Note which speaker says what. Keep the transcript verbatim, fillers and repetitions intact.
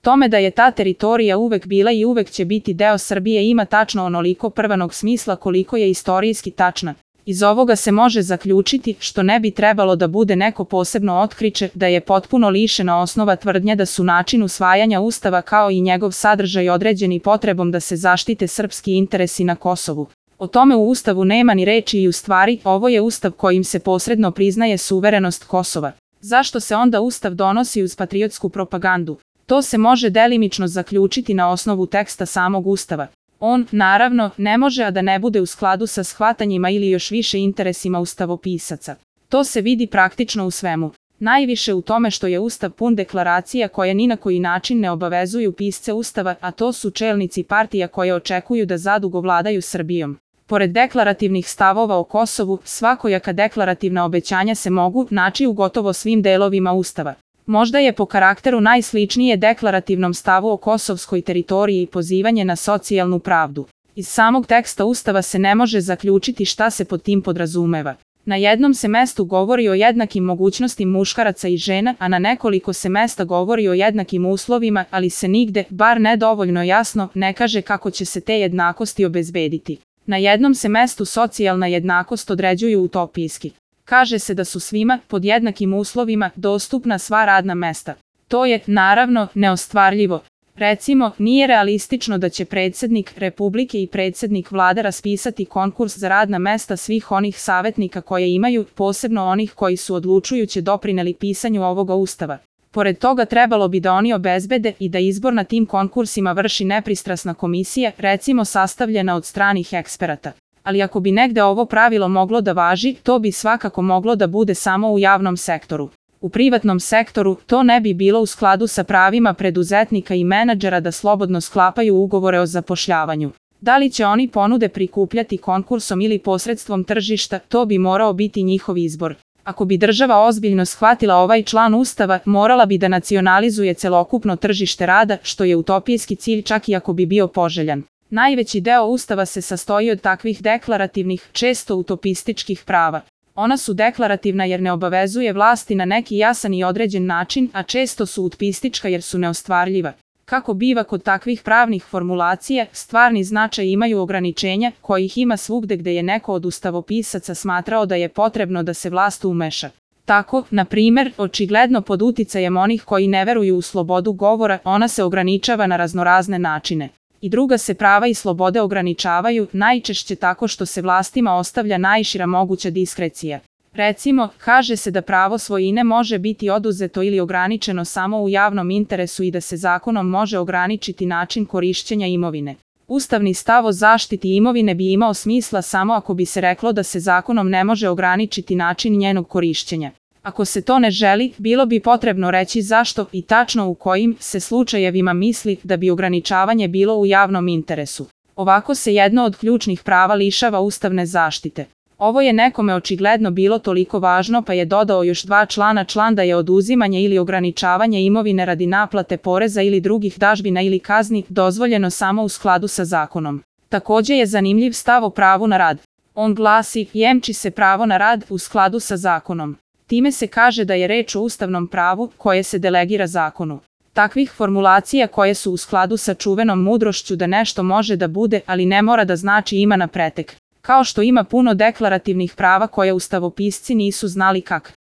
Speaker 1: Tome da je ta teritorija uvek bila i uvek će biti deo Srbije ima tačno onoliko prvanog smisla koliko je istorijski tačna. Iz ovoga se može zaključiti, što ne bi trebalo da bude neko posebno otkriće, da je potpuno lišena osnova tvrdnja da su način usvajanja Ustava kao i njegov sadržaj određeni potrebom da se zaštite srpski interesi na Kosovu. O tome u Ustavu nema ni reči i u stvari, ovo je Ustav kojim se posredno priznaje suverenost Kosova. Zašto se onda Ustav donosi uz patriotsku propagandu? To se može delimično zaključiti na osnovu teksta samog Ustava. On, naravno, ne može a da ne bude u skladu sa shvatanjima ili još više interesima ustavopisaca. To se vidi praktično u svemu. Najviše u tome što je Ustav pun deklaracija koje ni na koji način ne obavezuju pisce Ustava, a to su čelnici partija koje očekuju da zadugo vladaju Srbijom. Pored deklarativnih stavova o Kosovu, svakojaka deklarativna obećanja se mogu naći u gotovo svim delovima Ustava. Možda je po karakteru najsličnije deklarativnom stavu o kosovskoj teritoriji i pozivanje na socijalnu pravdu. Iz samog teksta Ustava se ne može zaključiti šta se pod tim podrazumeva. Na jednom se mestu govori o jednakim mogućnostima muškaraca i žena, a na nekoliko se mesta govori o jednakim uslovima, ali se nigde, bar ne dovoljno jasno, ne kaže kako će se te jednakosti obezbediti. Na jednom se mestu socijalna jednakost određuju utopijski. Kaže se da su svima, pod jednakim uslovima, dostupna sva radna mesta. To je, naravno, neostvarljivo. Recimo, nije realistično da će predsjednik Republike i predsjednik vlade raspisati konkurs za radna mesta svih onih savjetnika koje imaju, posebno onih koji su odlučujuće doprineli pisanju ovoga Ustava. Pored toga trebalo bi da oni obezbede i da izbor na tim konkursima vrši nepristrasna komisija, recimo sastavljena od stranih eksperata. Ali ako bi negde ovo pravilo moglo da važi, to bi svakako moglo da bude samo u javnom sektoru. U privatnom sektoru to ne bi bilo u skladu sa pravima preduzetnika i menadžera da slobodno sklapaju ugovore o zapošljavanju. Da li će oni ponude prikupljati konkursom ili posredstvom tržišta, to bi morao biti njihov izbor. Ako bi država ozbiljno shvatila ovaj član Ustava, morala bi da nacionalizuje celokupno tržište rada, što je utopijski cilj čak i ako bi bio poželjan. Najveći deo Ustava se sastoji od takvih deklarativnih, često utopističkih prava. Ona su deklarativna jer ne obavezuje vlasti na neki jasan i određen način, a često su utopistička jer su neostvarljiva. Kako biva kod takvih pravnih formulacija, stvarni značaj imaju ograničenja, kojih ima svugde gde je neko od ustavopisaca smatrao da je potrebno da se vlast umeša. Tako, na primer, očigledno pod uticajem onih koji ne veruju u slobodu govora, ona se ograničava na raznorazne načine. I druga se prava i slobode ograničavaju, najčešće tako što se vlastima ostavlja najšira moguća diskrecija. Recimo, kaže se da pravo svojine može biti oduzeto ili ograničeno samo u javnom interesu i da se zakonom može ograničiti način korišćenja imovine. Ustavni stav o zaštiti imovine bi imao smisla samo ako bi se reklo da se zakonom ne može ograničiti način njenog korišćenja. Ako se to ne želi, bilo bi potrebno reći zašto i tačno u kojim se slučajevima misli da bi ograničavanje bilo u javnom interesu. Ovako se jedno od ključnih prava lišava ustavne zaštite. Ovo je nekome očigledno bilo toliko važno pa je dodao još dva člana član da je oduzimanje ili ograničavanje imovine radi naplate poreza ili drugih dažbina ili kazni dozvoljeno samo u skladu sa zakonom. Također je zanimljiv stav o pravu na rad. On glasi, jemči se pravo na rad u skladu sa zakonom. Time se kaže da je reč o ustavnom pravu koje se delegira zakonu. Takvih formulacija koje su u skladu sa čuvenom mudrošću da nešto može da bude, ali ne mora da znači ima na pretek. Kao što ima puno deklarativnih prava koje ustavopisci nisu znali kak